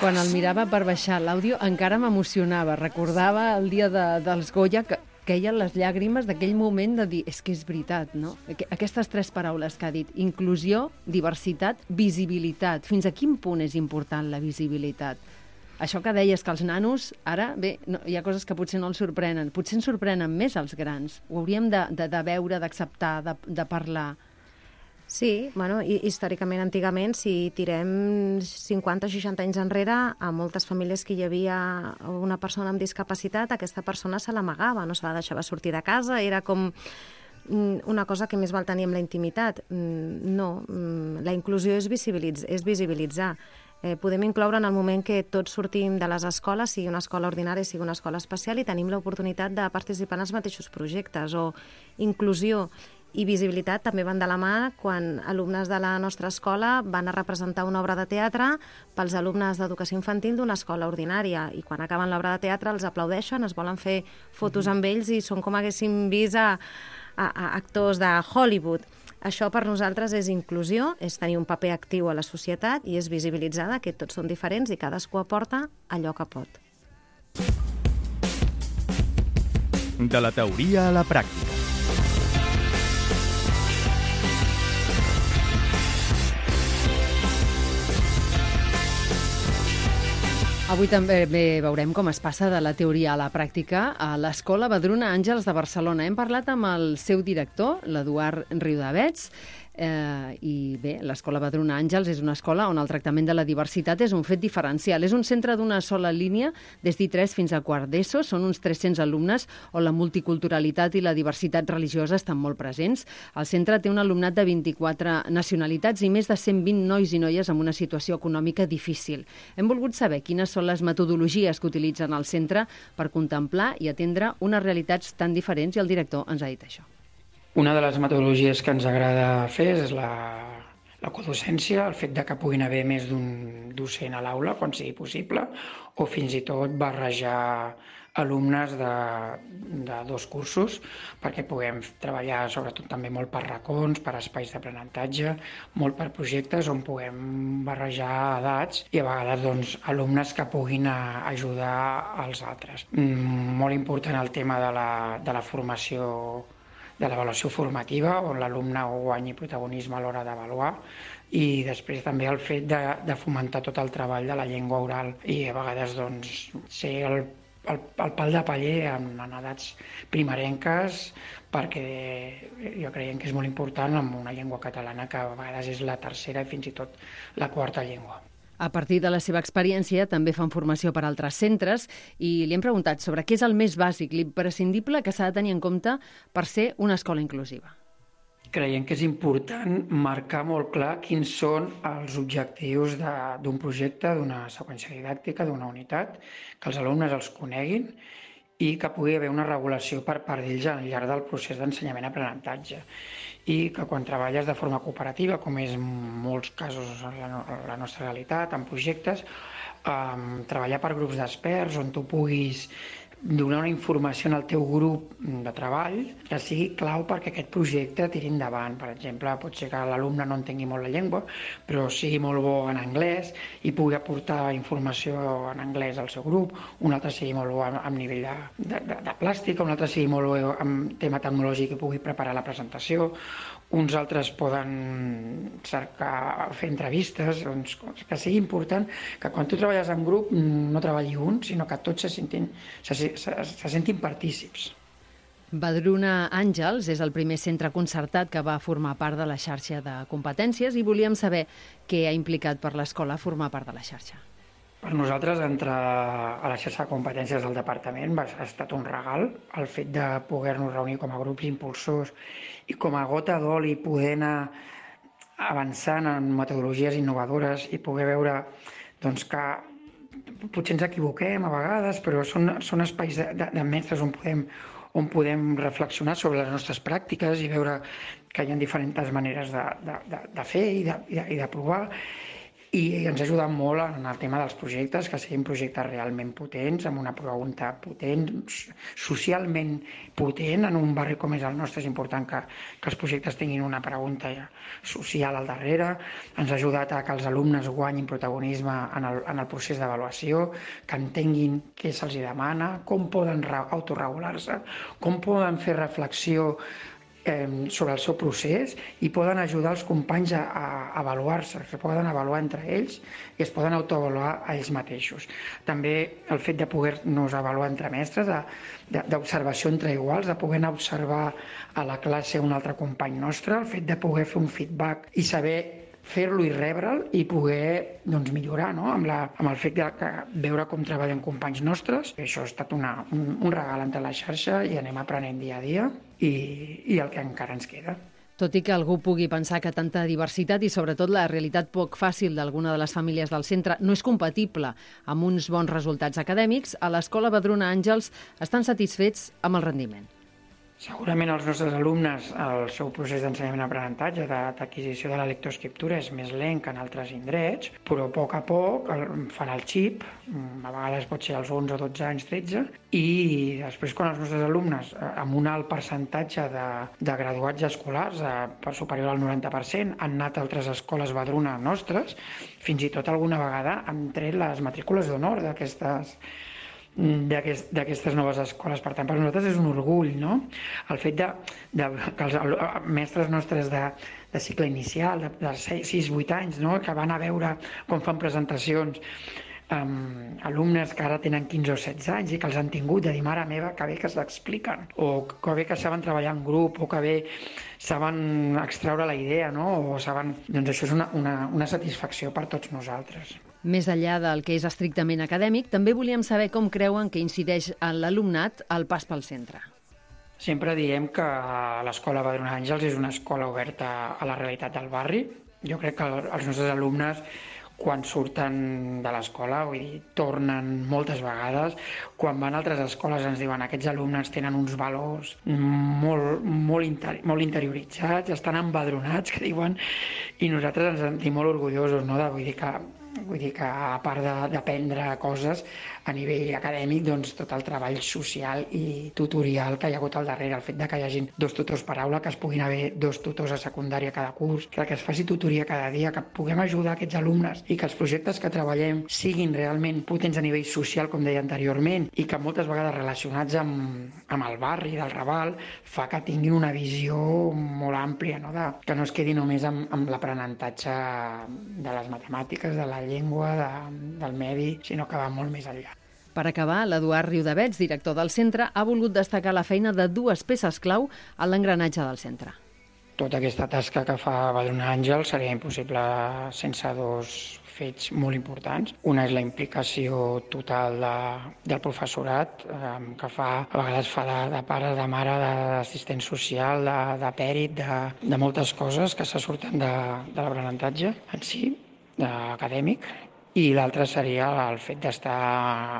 Quan el mirava per baixar l'àudio encara m'emocionava. Recordava el dia dels Goya que queien les llàgrimes d'aquell moment de dir és que és veritat, no? Aquestes 3 paraules que ha dit, inclusió, diversitat, visibilitat. Fins a quin punt és important la visibilitat? Això que deies que els nanos, ara, bé, hi ha coses que potser no els sorprenen. Potser ens sorprenen més els grans. Ho hauríem de veure, d'acceptar, de parlar. Sí, històricament, antigament, si tirem 50-60 anys enrere, a moltes famílies que hi havia una persona amb discapacitat, aquesta persona se l'amagava, no se la deixava sortir de casa, era com una cosa que més val tenir amb la intimitat. No, la inclusió és visibilitzar. Podem incloure en el moment que tots sortim de les escoles, sigui una escola ordinària, sigui una escola especial, i tenim l'oportunitat de participar en els mateixos projectes. O inclusió i visibilitat també van de la mà quan alumnes de la nostra escola van a representar una obra de teatre pels alumnes d'educació infantil d'una escola ordinària, i quan acaben l'obra de teatre els aplaudeixen, es volen fer fotos amb ells i són com haguéssim vist a actors de Hollywood. Això per nosaltres és inclusió, és tenir un paper actiu a la societat i és visibilitzar que tots són diferents i cadascú aporta allò que pot. De la teoria a la pràctica. Avui també veurem com es passa de la teoria a la pràctica a l'Escola Vedruna Àngels de Barcelona. Hem parlat amb el seu director, l'Eduard Riudavets, i bé, l'Escola Vedruna Àngels és una escola on el tractament de la diversitat és un fet diferencial. És un centre d'una sola línia des d'I3 fins a quart d'ESO. Són uns 300 alumnes on la multiculturalitat i la diversitat religiosa estan molt presents. El centre té un alumnat de 24 nacionalitats i més de 120 nois i noies amb una situació econòmica difícil. Hem volgut saber quines són les metodologies que utilitzen al centre per contemplar i atendre unes realitats tan diferents, i el director ens ha dit això. Una de les metodologies que ens agrada fer és la codocència, el fet de que puguin haver més d'un docent a l'aula, quan sigui possible, o fins i tot barrejar alumnes de 2 cursos, perquè puguem treballar sobretot també molt per racons, per espais d'aprenentatge, molt per projectes on puguem barrejar edats i a vegades alumnes que puguin ajudar als altres. Molt important el tema de la formació, de l'avaluació formativa, on l'alumne guanyi protagonisme a l'hora d'avaluar, i després també el fet de fomentar tot el treball de la llengua oral i a vegades ser el pal de paller en edats primerenques, perquè jo creiem que és molt important amb una llengua catalana que a vegades és la tercera i fins i tot la quarta llengua. A partir de la seva experiència també fan formació per a altres centres i li hem preguntat sobre què és el més bàsic, l'imprescindible que s'ha de tenir en compte per ser una escola inclusiva. Creiem que és important marcar molt clar quins són els objectius d'un projecte, d'una seqüència didàctica, d'una unitat, que els alumnes els coneguin i que pugui haver una regulació per part d'ells al llarg del procés d'ensenyament-aprenentatge. I que quan treballes de forma cooperativa, com és en molts casos la nostra realitat, en projectes, treballar per grups d'experts on tu puguis donar una informació al teu grup de treball que sigui clau perquè aquest projecte tiri endavant. Per exemple, pot ser que l'alumne no entengui molt la llengua, però sigui molt bo en anglès i pugui aportar informació en anglès al seu grup, un altre sigui molt bo a nivell de plàstica, un altre sigui molt bo en tema tecnològic i pugui preparar la presentació, uns altres poden cercar fer entrevistes, doncs, que sigui important que quan tu treballes en grup no treballi un, sinó que tots se sentin partícips. Vedruna Àngels és el primer centre concertat que va formar part de la xarxa de competències i volíem saber què ha implicat per l'escola formar part de la xarxa. Per nosaltres, entrar a la xarxa de competències del departament ha estat un regal. El fet de poder-nos reunir com a grups impulsors i com a gota d'oli poder anar avançant en metodologies innovadores i poder veure doncs, que potser ens equivoquem a vegades, però són espais de mestres on podem reflexionar sobre les nostres pràctiques i veure que hi ha diferents maneres de fer i de provar. I ens ha ajudat molt en el tema dels projectes, que siguin projectes realment potents, amb una pregunta potent, socialment potent. En un barri com és el nostre és important que els projectes tinguin una pregunta social al darrere. Ens ha ajudat a que els alumnes guanyin protagonisme en el procés d'avaluació, que entenguin què se'ls demana, com poden autoregular-se, com poden fer reflexió sobre el seu procés i poden ajudar els companys a avaluar-se, es poden avaluar entre ells i es poden autoavaluar a ells mateixos. També el fet de poder-nos avaluar entre mestres, d'observació entre iguals, de poder anar a observar a la classe un altre company nostre, el fet de poder fer un feedback i saber fer-lo i rebre'l i poder millorar amb el fet de veure com treballen companys nostres. Això ha estat un regal entre la xarxa i anem aprenent dia a dia i el que encara ens queda. Tot i que algú pugui pensar que tanta diversitat i sobretot la realitat poc fàcil d'alguna de les famílies del centre no és compatible amb uns bons resultats acadèmics, a l'Escola Vedruna Àngels estan satisfets amb el rendiment. Segurament els nostres alumnes, el seu procés d'ensenyament-aprenentatge, d'adquisició de la lectoescriptura és més lent que en altres indrets, però a poc fan el xip, a vegades pot ser als 11, 12 anys, 13, i després quan els nostres alumnes, amb un alt percentatge de graduats escolars, per superior al 90%, han anat a altres escoles Vedruna nostres, fins i tot alguna vegada han tret les matrícules d'honor d'aquestes noves escoles. Per tant, per nosaltres és un orgull, no? El fet que els mestres nostres de cicle inicial, de 6-8 anys, no? Que van a veure com fan presentacions, alumnes que ara tenen 15 o 16 anys i que els han tingut, de dir, mare meva, que bé que s'expliquen, o que bé que saben treballar en grup, o que bé saben extraure la idea, no? Doncs això és una satisfacció per tots nosaltres. Més enllà del que és estrictament acadèmic, també volíem saber com creuen que incideix en l'alumnat el pas pel centre. Sempre diem que l'Escola Vedruna Àngels és una escola oberta a la realitat del barri. Jo crec que els nostres alumnes, quan surten de l'escola, vull dir, tornen moltes vegades. Quan van a altres escoles ens diuen que aquests alumnes tenen uns valors molt interioritzats, estan embadronats, que diuen, i nosaltres ens sentim molt orgullosos, no? Vull dir que a part d'aprendre coses a nivell acadèmic, doncs tot el treball social i tutorial que hi ha hagut al darrere, el fet que hi hagin 2 tutors per aula, que es puguin haver 2 tutors a secundària cada curs, que es faci tutoria cada dia, que puguem ajudar aquests alumnes i que els projectes que treballem siguin realment potents a nivell social, com deia anteriorment, i que moltes vegades relacionats amb el barri del Raval, fa que tinguin una visió molt àmplia, no? Que no es quedi només amb l'aprenentatge de les matemàtiques, de la llengua, del medi, sinó que va molt més enllà. Per acabar, l'Eduard Riudavets, director del centre, ha volgut destacar la feina de 2 peces clau en l'engranatge del centre. Tota aquesta tasca que fa Vedruna Àngels seria impossible sense 2 fets molt importants. Una és la implicació total del professorat, que a vegades fa de pare, de mare, d'assistent social, de pèrit, de moltes coses que se surten de l'aprenentatge en si, acadèmic, I l'altre seria el fet d'estar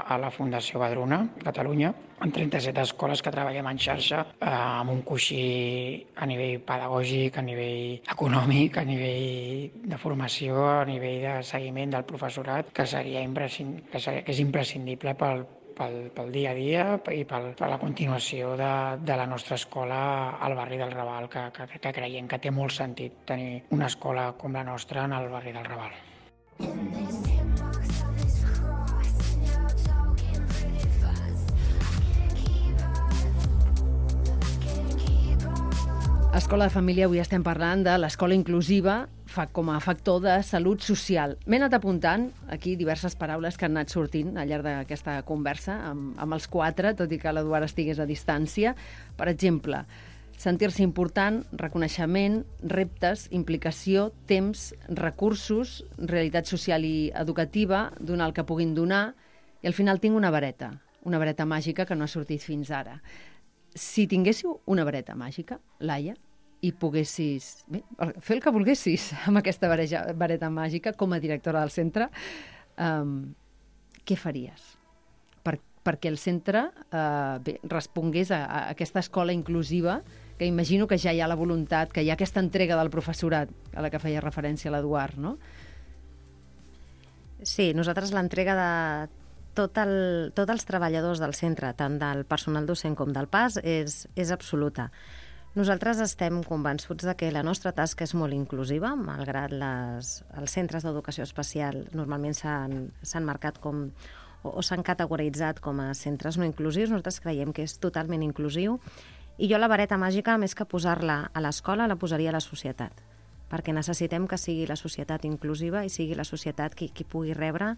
a la Fundació Badruna, Catalunya, amb 37 escoles que treballem en xarxa, amb un coixí a nivell pedagògic, a nivell econòmic, a nivell de formació, a nivell de seguiment del professorat, que és imprescindible pel dia a dia i per la continuació de la nostra escola al barri del Raval, que creiem que té molt sentit tenir una escola com la nostra en el barri del Raval. Escola de Família, avui estem parlant de l'escola inclusiva com a factor de salut social. M'he anat apuntant aquí diverses paraules que han anat sortint al llarg d'aquesta conversa amb els quatre, tot i que l'Eduard estigués a distància. Per exemple, sentir-se important, reconeixement, reptes, implicació, temps, recursos, realitat social i educativa, donar el que puguin donar, i al final tinc una vareta màgica que no ha sortit fins ara. Si tinguéssiu una vareta màgica, Laia, i poguessis fer el que volguessis amb aquesta vareta màgica com a directora del centre, què faries? Perquè el centre respongués a aquesta escola inclusiva, que imagino que ja hi ha la voluntat, que hi ha aquesta entrega del professorat a la que feia referència l'Eduard, no? Sí, nosaltres l'entrega de tots els treballadors del centre, tant del personal docent com del PAS, és absoluta. Nosaltres estem convençuts de que la nostra tasca és molt inclusiva, malgrat els centres d'educació especial normalment s'han marcat com o s'han categoritzat com a centres no inclusius. Nosaltres creiem que és totalment inclusiu, i jo la vareta màgica, més que posar-la a l'escola, la posaria a la societat, perquè necessitem que sigui la societat inclusiva i sigui la societat qui pugui rebre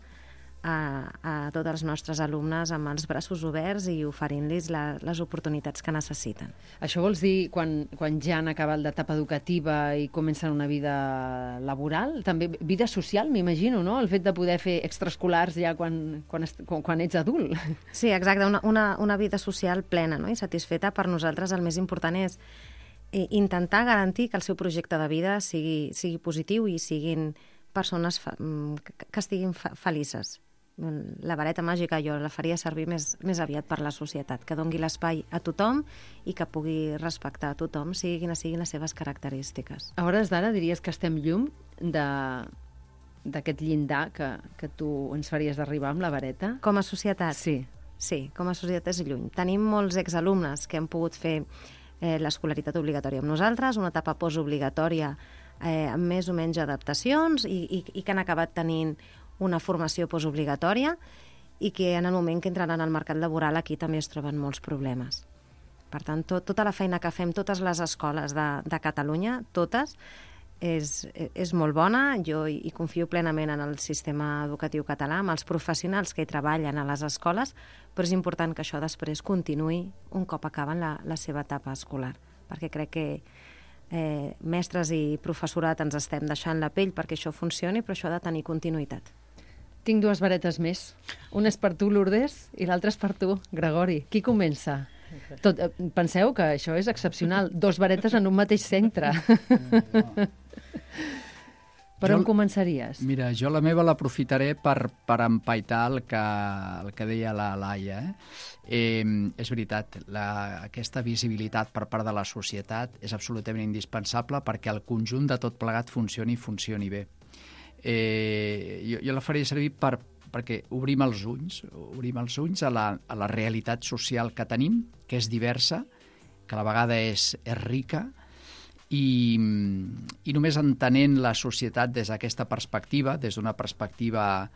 a tots els nostres alumnes amb els braços oberts i oferint-los les oportunitats que necessiten. Això vols dir quan ja han acabat l'etapa educativa i comencen una vida laboral? També vida social, m'imagino, no? El fet de poder fer extraescolars ja quan ets adult. Sí, exacte, una vida social plena, no? I satisfeta. Per nosaltres el més important és intentar garantir que el seu projecte de vida sigui positiu i siguin persones que estiguin felices. La vareta màgica jo la faria servir més aviat per la societat, que dongui l'espai a tothom i que pugui respectar a tothom, siguin quines siguin les seves característiques. A hores d'ara diries que estem lluny d'aquest llindar que tu ens faries d'arribar amb la vareta? Com a societat? Sí, com a societat és lluny. Tenim molts exalumnes que han pogut fer l'escolaritat obligatòria amb nosaltres, una etapa postobligatòria amb més o menys adaptacions i que han acabat tenint una formació postobligatòria i que en el moment que entraran al mercat laboral aquí també es troben molts problemes. Per tant, tota la feina que fem, totes les escoles de Catalunya, totes, és molt bona. Jo hi confio plenament en el sistema educatiu català, amb els professionals que hi treballen a les escoles, però és important que això després continuï un cop acaben la seva etapa escolar, perquè crec que mestres i professorat ens estem deixant la pell perquè això funcioni, però això ha de tenir continuïtat. Tinc dues varetes més. Una és per tu, Lourdes, i l'altra és per tu, Gregori. Qui comença? Penseu que això és excepcional. 2 varetes en un mateix centre. Per on començaries? Mira, jo la meva l'aprofitaré per empaitar el que deia la Laia. És veritat, aquesta visibilitat per part de la societat és absolutament indispensable perquè el conjunt de tot plegat funcioni bé. Jo la faria servir perquè obrim els ulls a la realitat social que tenim, que és diversa, que a la vegada és rica, i només entenent la societat des d'aquesta perspectiva, des d'una perspectiva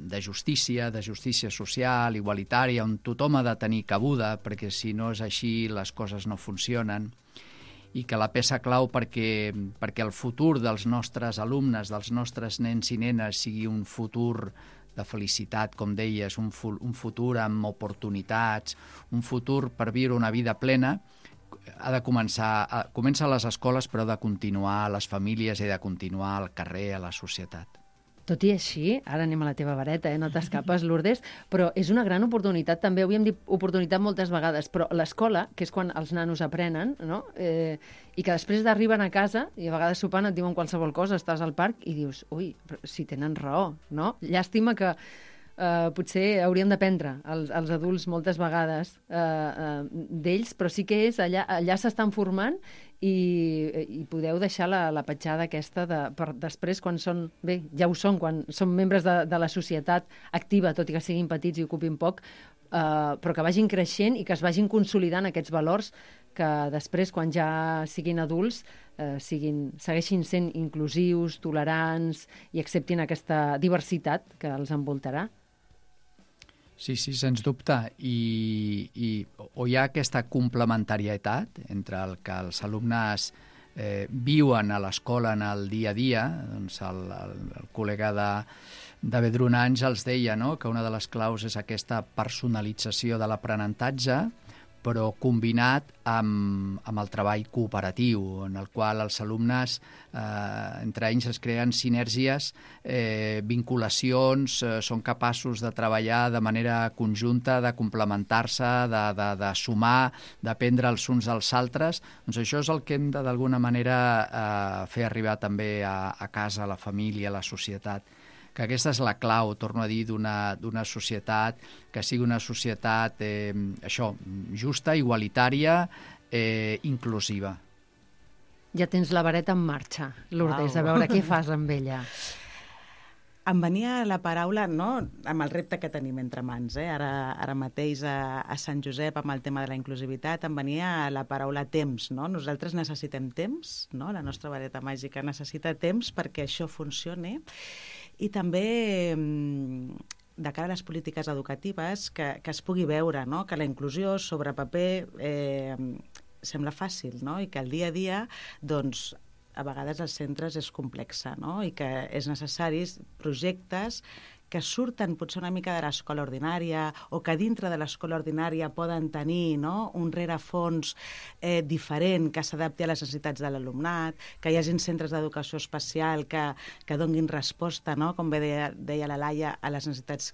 de justícia social, igualitària, on tothom ha de tenir cabuda, perquè si no és així les coses no funcionen, i que la peça clau perquè el futur dels nostres alumnes, dels nostres nens i nenes, sigui un futur de felicitat, com deies, un futur amb oportunitats, un futur per viure una vida plena, comença a les escoles, però ha de continuar a les famílies i ha de continuar al carrer, a la societat. Tot i així, ara anem a la teva vareta, no t'escapes, Lourdes, però és una gran oportunitat, també ho havíem dit oportunitat moltes vegades, però l'escola, que és quan els nanos aprenen, no? I que després d'arriben a casa, i a vegades sopant et diuen qualsevol cosa, estàs al parc i dius, ui, però si tenen raó, no? Llàstima que potser hauríem d'aprendre els adults moltes vegades d'ells, però sí que és allà s'estan formant i podeu deixar la petjada aquesta per després, quan són, bé, ja ho són, quan són membres de la societat activa, tot i que siguin petits i ocupin poc, però que vagin creixent i que es vagin consolidant aquests valors que després, quan ja siguin adults, segueixin sent inclusius, tolerants i acceptin aquesta diversitat que els envoltarà. Sí, sens dubte. O hi ha aquesta complementarietat entre el que els alumnes viuen a l'escola en el dia a dia. Doncs el col·lega de Vedruna Àngels deia, no?, que una de les claus és aquesta personalització de l'aprenentatge, però combinat amb el treball cooperatiu, en el qual els alumnes, entre ells es creen sinergies, vinculacions, són capaços de treballar de manera conjunta, de complementar-se, de sumar, d'aprendre els uns als altres. Doncs això és el que hem de, d'alguna manera, fer arribar també a casa, a la família, a la societat. Que aquesta és la clau, torno a dir, d'una societat que sigui una societat justa, igualitària, inclusiva. Ja tens la vareta en marxa, Lourdes, a veure què fas amb ella. Em venia la paraula, no?, amb el repte que tenim entre mans. Ara mateix a Sant Josep, amb el tema de la inclusivitat, em venia la paraula temps. No? Nosaltres necessitem temps, no? La nostra vareta màgica necessita temps perquè això funcioni. I també, de cara a les polítiques educatives, que es pugui veure, no?, que la inclusió sobre paper sembla fàcil, no?, i que el dia a dia, doncs, a vegades als centres és complexa, no?, i que és necessaris projectes que surten potser una mica de l'escola ordinària o que dintre de l'escola ordinària poden tenir, no?, un rerefons diferent que s'adapti a les necessitats de l'alumnat, que hi hagin centres d'educació especial que donguin resposta, no?, com bé deia la Laia, a les necessitats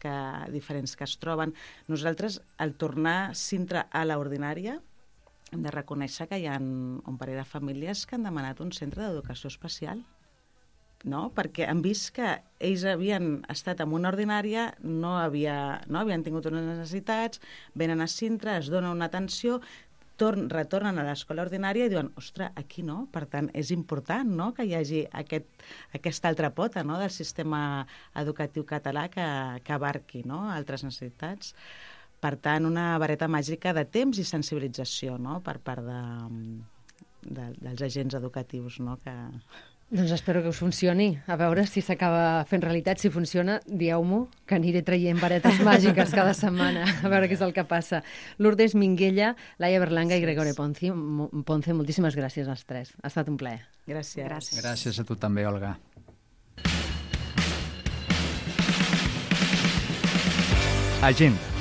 diferents que es troben. Nosaltres, al tornar Sintra a l'ordinària, hem de reconèixer que hi ha un parell de famílies que han demanat un centre d'educació especial, no? Perquè han vist que ells havien estat en una ordinària, no havien tingut unes necessitats, venen a Sintra, es dona una atenció, retornen a l'escola ordinària i diuen, ostres, aquí no. Per tant, és important, no?, que hi hagi aquesta altra pota, no?, del sistema educatiu català que abarqui, no?, altres necessitats. Per tant, una vareta màgica de temps i sensibilització, no?, per part dels agents educatius, no?, que... Doncs espero que us funcioni. A veure si s'acaba fent realitat. Si funciona, dieu-m'ho, que aniré traient varetes màgiques cada setmana. A veure què és el que passa. Lourdes Minguella, Laia Berlanga i Gregore Ponce, moltíssimes gràcies als tres. Ha estat un plaer. Gràcies. Gràcies a tu també, Olga. Agenda.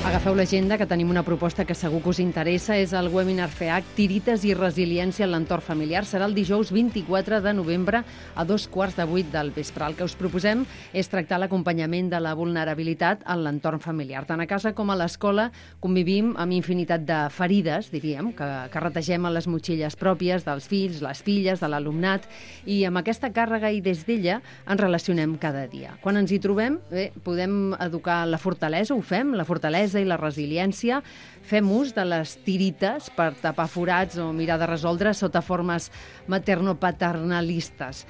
Agafeu l'agenda, que tenim una proposta que segur que us interessa. És el webinar FEAC, Tirites i resiliència en l'entorn familiar. Serà el dijous 24 de novembre a 7:15 del vespre. El que us proposem és tractar l'acompanyament de la vulnerabilitat en l'entorn familiar. Tant a casa com a l'escola convivim amb infinitat de ferides, diríem, que retegem a les motxilles pròpies dels fills, les filles, de l'alumnat, i amb aquesta càrrega i des d'ella ens relacionem cada dia. Quan ens hi trobem, podem educar la fortalesa, ho fem, la fortalesa i la resiliència, fem ús de les tirites per tapar forats o mirar de resoldre sota formes materno-paternalistes.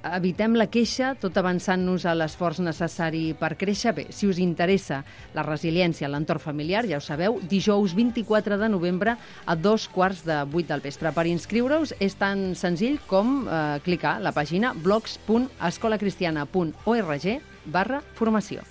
Evitem la queixa, tot avançant-nos a l'esforç necessari per créixer. Bé, si us interessa la resiliència a l'entorn familiar, ja ho sabeu, dijous 24 de novembre a 7:15 del vespre. Per inscriure-us és tan senzill com clicar a la pàgina blogs.escolacristiana.org/formació.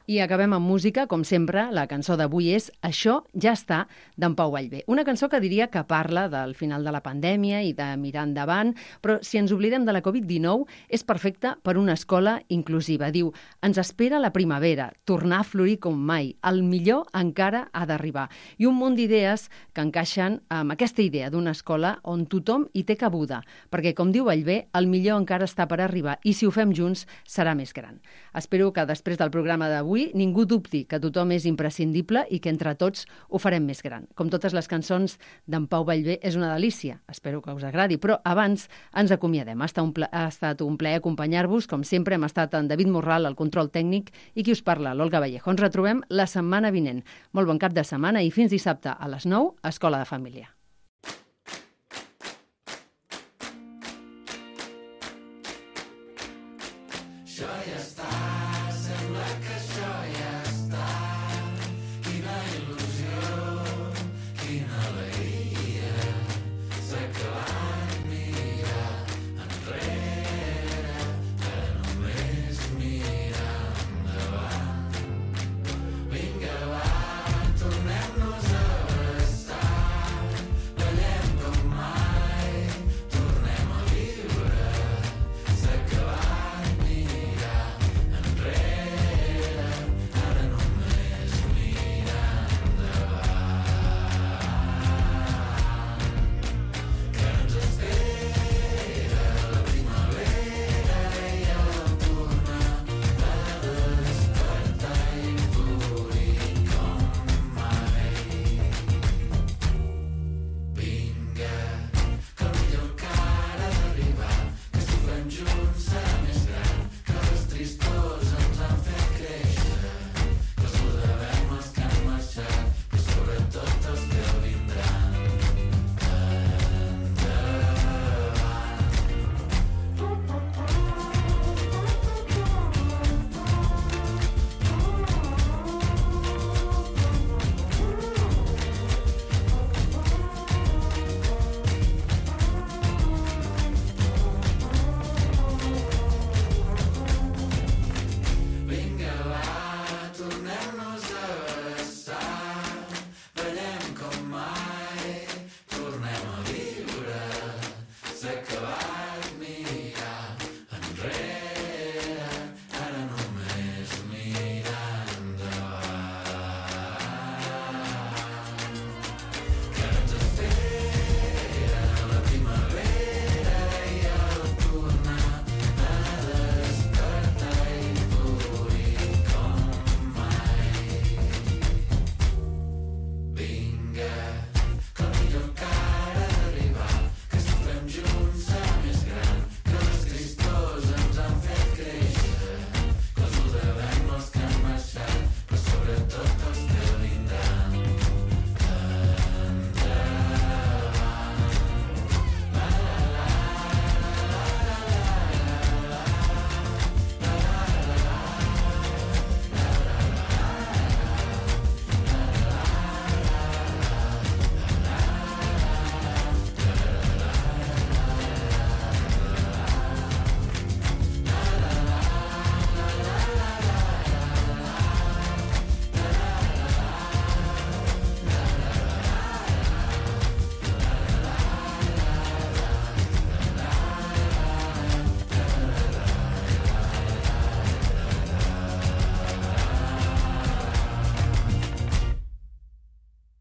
I acabem amb música, com sempre. La cançó d'avui és Això ja està, d'en Pau Vallvé. Una cançó que diria que parla del final de la pandèmia i de mirar endavant, però si ens oblidem de la Covid-19 és perfecta per una escola inclusiva. Diu, ens espera la primavera, tornar a florir com mai, el millor encara ha d'arribar. I un munt d'idees que encaixen amb aquesta idea d'una escola on tothom hi té cabuda, perquè, com diu Vallvé, el millor encara està per arribar i si ho fem junts serà més gran. Espero que després del programa d'avui ningú dubti que tothom és imprescindible i que entre tots ho farem més gran. Com totes les cançons d'en Pau Vallvé, és una delícia. Espero que us agradi, però abans ens acomiadem. Ha estat un plaer acompanyar-vos. Com sempre, hem estat en David Morral, al control tècnic, i qui us parla, l'Olga Vallejo. Ens retrobem la setmana vinent. Molt bon cap de setmana i fins dissabte a les 9, a Escola de Família. Això ja està.